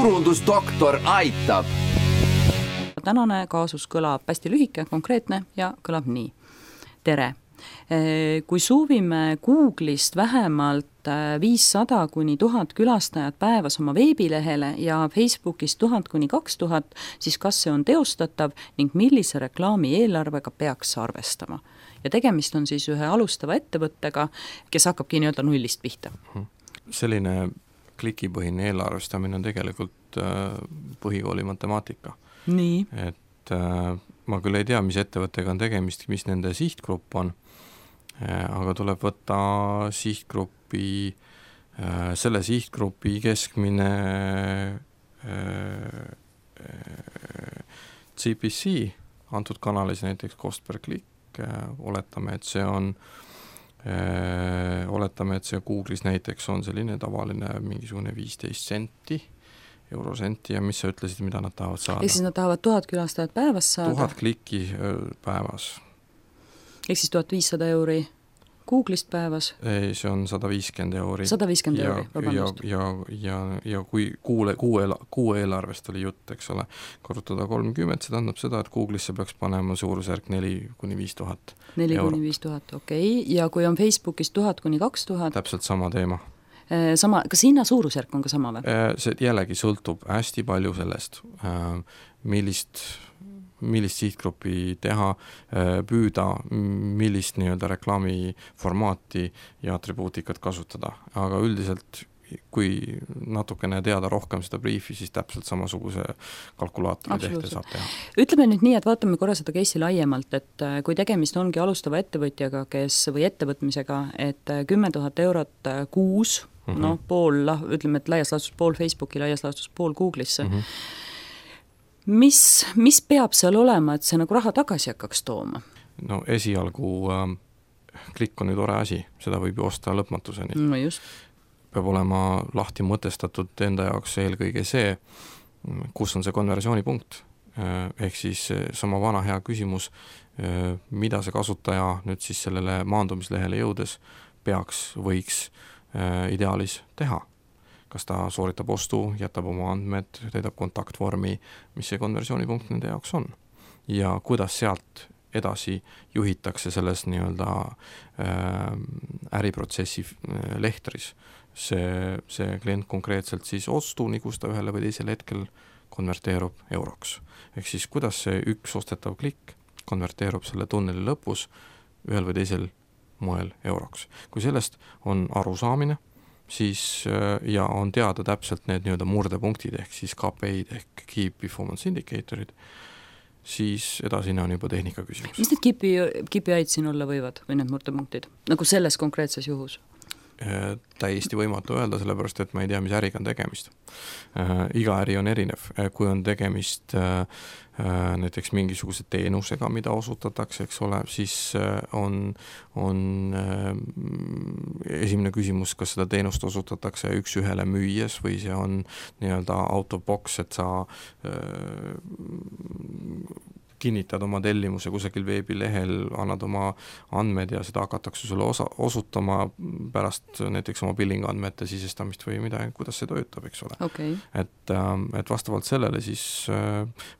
turundusdoktor aitab. Tänane kaasus kõlab hästi lühike, konkreetne ja kõlab nii. Tere! Kui suuvime Google'ist vähemalt 500 kuni 1000 külastajat päevas oma veebilehele ja Facebookist 1000 kuni 2000, siis kas see on teostatav ning millise reklaami eelarvega peaks arvestama? Ja tegemist on siis ühe alustava ettevõttega, kes hakkabki nii-öelda nullist pihta. Selline klikipõhine eelarvestamine on tegelikult põhikooli matemaatika. Nii. Et ma küll ei tea, mis ettevõttega on tegemist, mis nende sihtgrupp on, aga tuleb võtta selle sihtgrupi keskmine CPC antud kanalis, näiteks cost per click, oletame, et see Google'is näiteks on selline tavaline mingisugune 15 senti, eurosenti, ja mis sa ütlesid, mida nad tahavad saada? Ehk siis nad tahavad 1000 külastajat päevas saada? 1000 klikki päevas. Ehk siis 1500 euri Google'ist päevas? Ei, see on 150 euri. 150 euri, vabandust. Ja kui kuu eelarvest oli jutt, eks ole, korrutada 30, see tähendab seda, et Google'isse peaks panema suurusjärk 4 kuni 5000 eurot. 4 kuni 5000, okei. Ja kui on Facebookis 1000 kuni 2000? Täpselt sama teema. Kas hinna suurusjärk on ka sama või? See jällegi sõltub hästi palju sellest, millist sihtgruppi teha, püüda, millist nii-öelda reklaamiformaati ja atribuutikat kasutada. Aga üldiselt, kui natukene teada rohkem seda briefi, siis täpselt samasuguse kalkulaatori tehte saab teha. Ütleme nüüd nii, et vaatame korra seda case'i laiemalt, et kui tegemist ongi alustava ettevõtjaga, või ettevõtmisega, et 10 000 eurot kuus, pool, ütleme, et laias laastus pool Facebooki, laias laastus pool Google'isse. Mis peab seal olema, et see nagu raha tagasi hakkaks tooma? No esialgu klikk on ju tore asi, seda võib ju osta lõpmatuseni. No just. Peab olema lahti mõtestatud enda jaoks eelkõige see, kus on see konversioonipunkt. Ehk siis sama vana hea küsimus, mida see kasutaja nüüd siis sellele maandumislehele jõudes võiks ideaalis teha. Kas ta sooritab ostu, jätab oma andmed, täidab kontaktvormi, mis see konversioonipunkt nende jaoks on. Ja kuidas sealt edasi juhitakse selles nii-öelda äriprotsessi lehtris. See klient konkreetselt siis ostuni, kus ta ühele või teisel hetkel konverteerub euroks. Ehk siis kuidas see üks ostetav klikk konverteerub selle tunneli lõpus ühel või teisel moel euroks. Kui sellest on arusaamine, siis ja on teada täpselt need nii-öelda murdepunktid ehk siis KPI-d ehk Key Performance Indicatorid, siis edasine on juba tehnika küsimus. Mis need KPI-d siin olla võivad või need murdepunktid? Nagu selles konkreetses juhus? Täiesti võimatu öelda, sellepärast, et ma ei tea, mis äriga on tegemist. Iga äri on erinev. Kui on tegemist näiteks mingisuguse teenusega, mida osutatakse, eks ole, siis on esimene küsimus, kas seda teenust osutatakse üks ühele müües või see on nii-öelda out of box, et sa kinnitad oma tellimuse kusagil veebilehel, annad oma andmed ja seda hakatakse sulle osutama pärast näiteks oma billing andmete sisestamist või midagi, kuidas see töötab, eks ole. Okay. Et vastavalt sellele siis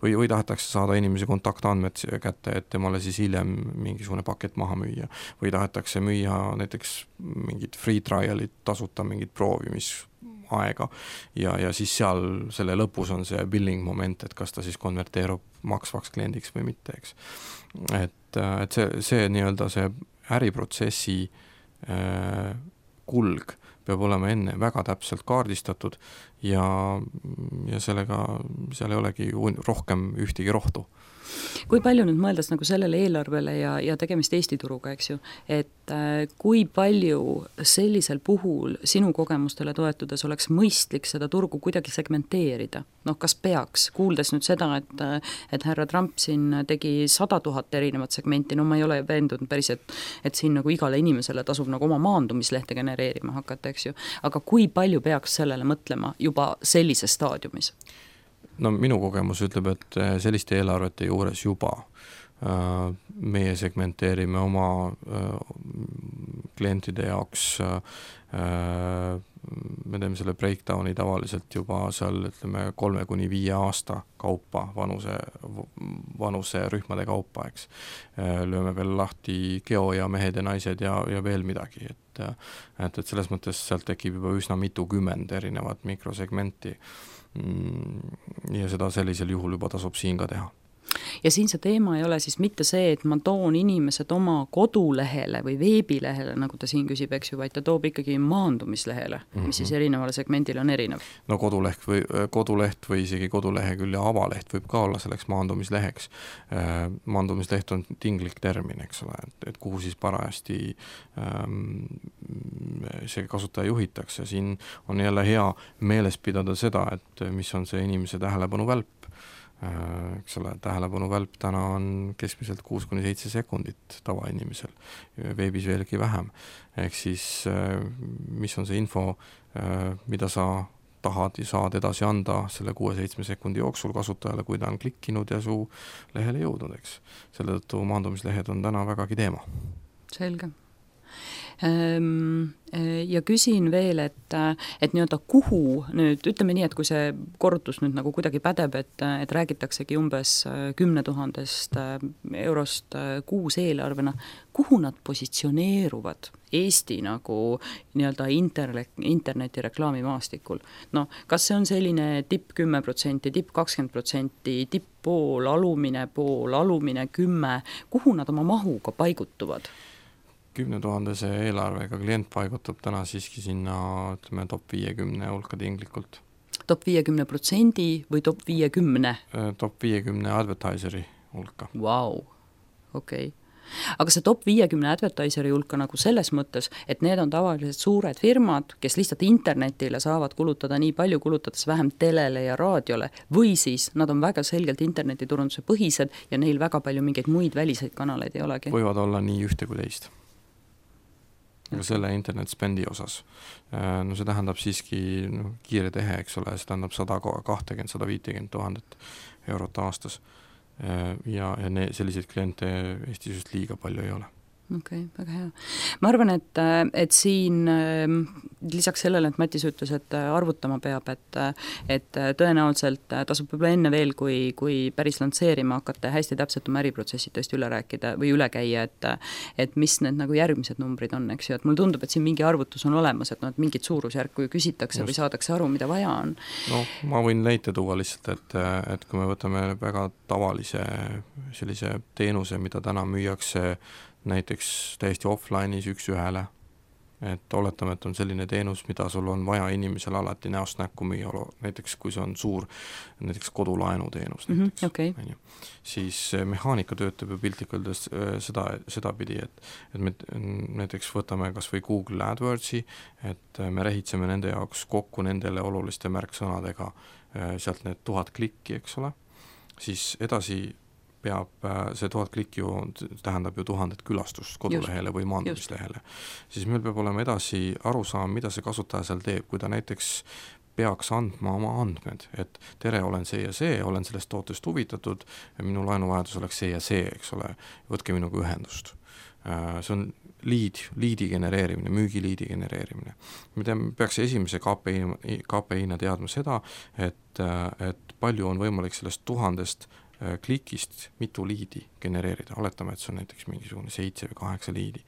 või tahetakse saada inimese kontaktandmed kätte, et temale siis hiljem mingisugune pakett maha müüa või tahetakse müüa näiteks mingid free trialid, tasuta mingid proovimis aega ja siis seal selle lõpus on see billing moment, et kas ta siis konverteerub maksvaks kliendiks või mitte, eks. Et see nii-öelda see äriprotsessi kulg peab olema enne väga täpselt kaardistatud ja sellega seal ei olegi rohkem ühtegi rohtu. Kui palju nüüd mõeldes nagu sellele eelarvele ja tegemist Eesti turuga, eks ju, et kui palju sellisel puhul sinu kogemustele toetudes oleks mõistlik seda turgu kuidagi segmenteerida? Kas peaks, kuuldes nüüd seda, et härra Trump siin tegi 100 000 erinevat segmenti, ma ei ole veendunud päris, et siin nagu igale inimesele tasub nagu oma maandumislehte genereerima hakata, eks ju, aga kui palju peaks sellele mõtlema juba sellises staadiumis? No minu kogemus ütleb, et selliste eelarvete juures juba meie segmenteerime oma klientide jaoks, me teeme selle breakdowni tavaliselt juba seal, ütleme, 3-5 aasta kaupa, vanuse rühmade kaupa, eks. Lööme veel lahti geo ja mehed ja naised ja veel midagi, et selles mõttes sealt tekib juba üsna mitukümmend erinevat mikrosegmenti ja seda sellisel juhul juba tasub siin ka teha. Ja siin see teema ei ole siis mitte see, et ma toon inimesed oma kodulehele või veebilehele, nagu ta siin küsib, eks ju, vaid ta toob ikkagi maandumislehele, mis siis erinevale segmendile on erinev. No koduleht või isegi kodulehekülje avaleht võib ka olla selleks maandumisleheks. Maandumisleht on tinglik termin, eks ole, et kuhu siis parajasti see kasutaja juhitakse. Siin on jälle hea meeles pidada seda, et mis on see inimese tähelepanu välp. Eks ole, tähelepanu välp täna on keskmiselt 6-7 sekundit tavainimesel, veebis veelgi vähem. Ehk siis, mis on see info, mida sa tahad ja saad edasi anda selle 6-7 sekundi jooksul kasutajale, kui ta on klikkinud ja su lehele jõudnud, eks. Selle tõttu maandumislehed on täna vägagi teema. Selge. Ja küsin veel, et nii-öelda kuhu nüüd, ütleme nii, et kui see korrutus nüüd nagu kuidagi pädeb, et räägitaksegi umbes 10 000 eurost kuus eelarvena, kuhu nad positsioneeruvad Eesti nagu nii-öelda interneti reklaamimaastikul? No, kas see on selline tipp 10%, tipp 20%, tipp pool, alumine 10%, kuhu nad oma mahuga paigutuvad? 10 000 eelarvega klient paigutab täna siiski sinna, ütleme, top 50 hulka tinglikult. Top 50% või top 50? Top 50 advertiseri hulka. Vau, okei. Aga see top 50 advertiseri hulka nagu selles mõttes, et need on tavaliselt suured firmad, kes lihtsalt internetile saavad kulutada nii palju, kulutades vähem telele ja raadiole, või siis nad on väga selgelt internetiturunduse põhised ja neil väga palju mingeid muid väliseid kanaleid ei olegi. Võivad olla nii ühte kui teist. Aga selle internet spendi osas. No see tähendab siiski kiire tehe, eks ole, see tähendab 120-150 000 eurot aastas ja selliseid kliente Eestis just liiga palju ei ole. Okei, väga hea. Ma arvan, et siin lisaks sellele, et Matis ütles, et arvutama peab, et tõenäoliselt tasub võib-olla enne veel, kui päris lantseerima hakata hästi täpselt oma äriprotsessid tõesti üle rääkida või üle käia, et mis need nagu järgmised numbrid on, eks ju, et mulle tundub, et siin mingi arvutus on olemas, et mingit suurusjärku küsitakse või saadakse aru, mida vaja on. No, ma võin näite tuua lihtsalt, et kui me võtame väga tavalise sellise teenuse, mida täna müüakse näiteks täiesti offline'is üks ühele, et oletame, et on selline teenus, mida sul on vaja inimesele alati näost näkku müüa, näiteks kui see on suur näiteks kodulaenu teenus, näiteks, okay. Siis mehaanika töötab ju piltlikult sedapidi, et me näiteks võtame kas või Google AdWordsi, et me rehitseme nende jaoks kokku nendele oluliste märksõnadega sealt need 1000 klikki, eks ole, siis edasi peab see 1000 klikki tähendab ju 1000 külastust kodulehele või maandumislehele. Siis meil peab olema edasi arusaam, mida see kasutaja seal teeb, kui ta näiteks peaks andma oma andmed, et tere, olen see ja see, olen sellest tootest huvitatud, minu laenuvajadus oleks see ja see, eks ole, võtke minuga ühendust. See on liidi genereerimine, müügiliidi genereerimine. Me peaks esimese KPI-na teadma seda, et palju on võimalik sellest 1000 klikist mitu liidi genereerida. Oletame, et see on näiteks mingisugune 7 või 8 liidi.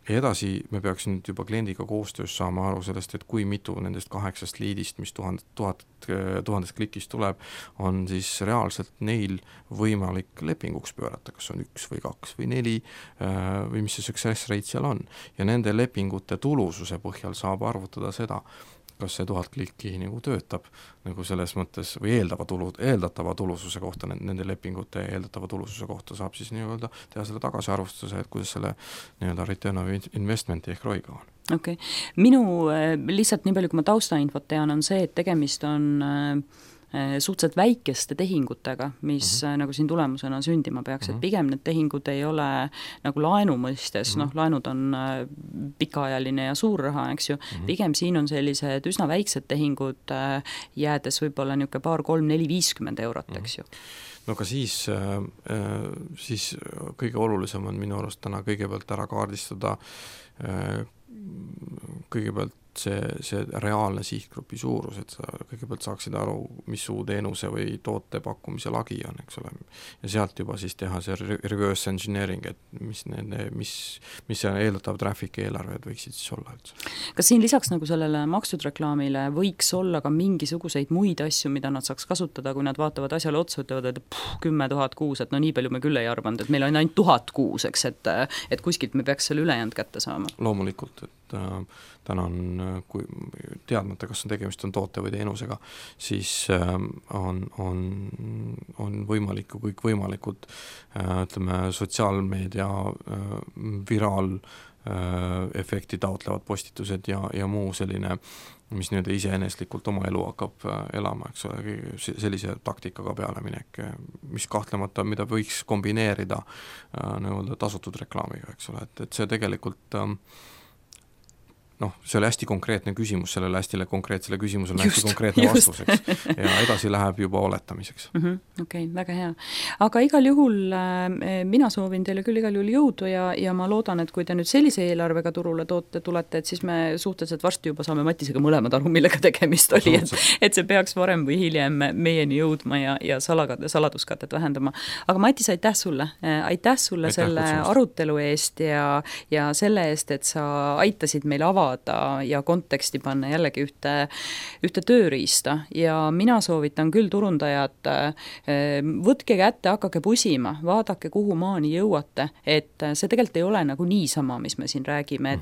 Ja edasi me peaks nüüd juba kliendiga koostöös saama aru sellest, et kui mitu nendest 8 liidist, mis 1000 klikist tuleb, on siis reaalselt neil võimalik lepinguks pöörata, kas on 1 või 2 või 4 või mis see success rate seal on. Ja nende lepingute tulususe põhjal saab arvutada seda, kas see 1000 klikki nagu töötab nagu selles mõttes või eeldatava tulususe kohta, nende lepingute eeldatava tulususe kohta saab siis nii-öelda teha selle tagasiarvustuse, et kuidas selle nii-öelda return of investmenti ehk ROI-ga on. Okei. Minu lihtsalt nii palju, kui ma taustainfot tean, on see, et tegemist on suhteliselt väikeste tehingutega, mis nagu siin tulemusena sündima peaks, et pigem need tehingud ei ole nagu laenu mõistes, laenud on pikaajaline ja suur raha, eks ju, pigem siin on sellised üsna väiksed tehingud, jäädes võib-olla niisugune 2, 3, 4, 50 eurot, eks ju. No ka siis kõige olulisem on minu arust täna kõigepealt ära kaardistada kõigepealt see reaalne sihtgrupi suurus, et sa kõigepealt saaksid aru, mis su teenuse või toote pakkumise lagi on, eks ole, ja sealt juba siis teha see reverse engineering, et mis see eeldatav traffic eelarved võiksid siis olla üldse. Kas siin lisaks nagu sellele makstud reklaamile võiks olla ka mingisuguseid muid asju, mida nad saaks kasutada, kui nad vaatavad asjale otsa, ütlevad, et 10 000 kuus, et no nii palju me küll ei arvanud, et meil on ainult 1000 kuus, eks, et kuskilt me peaks selle ülejäänud kätte saama? Loomulikult, et täna on, kui teadmata, kas tegemist on toote või teenusega, siis on võimalik kõikvõimalikud sotsiaalmeedia viraalefekti taotlevad postitused ja muu selline, mis nüüd iseeneslikult oma elu hakkab elama, eks ole, sellise taktikaga pealeminek, mis kahtlemata, mida võiks kombineerida tasutud reklaamiga, eks ole, et see tegelikult see oli hästi konkreetne küsimus, sellele hästi konkreetsele küsimusele hästi konkreetne vastus, eks, ja edasi läheb juba oletamiseks. Okei, väga hea. Aga igal juhul mina soovin teile küll igal juhul jõudu ja ma loodan, et kui te nüüd sellise eelarvega turule tulete, et siis me suhteliselt varsti juba saame Matisega mõlemad aru, millega tegemist oli, et see peaks varem või hiljem meieni jõudma ja saladuskatet vähendama. Aga Matis, aitäh sulle selle arutelu eest ja selle eest, et sa aitasid meil avada ja konteksti panna jällegi ühte tööriista ja mina soovitan küll turundajad, võtke kätte, hakake pusima, vaadake, kuhu maani jõuate, et see tegelikult ei ole nagu niisama, mis me siin räägime,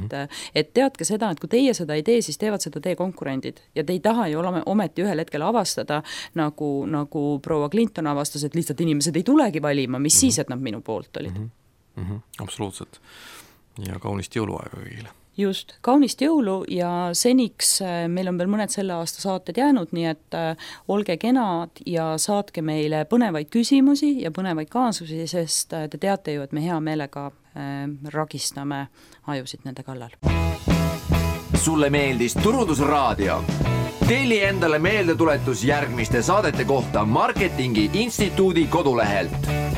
et teadke seda, et kui teie seda ei tee, siis teevad seda teie konkurendid ja te ei taha ju ometi ühel hetkel avastada, nagu proua Clinton avastas, et lihtsalt inimesed ei tulegi valima, mis siis, et nad minu poolt olid. Absoluutselt. Ja kaunist jõuluaega kõigile. Just, kaunist jõulu ja seniks meil on veel mõned selle aasta saated jäänud, nii et olge kenad ja saatke meile põnevaid küsimusi ja põnevaid kaasusi, sest te teate ju, et me hea meelega ragistame ajusid nende kallal. Sulle meeldis Turundusraadio? Telli endale meeldetuletus järgmiste saadete kohta Marketingi Instituudi kodulehelt.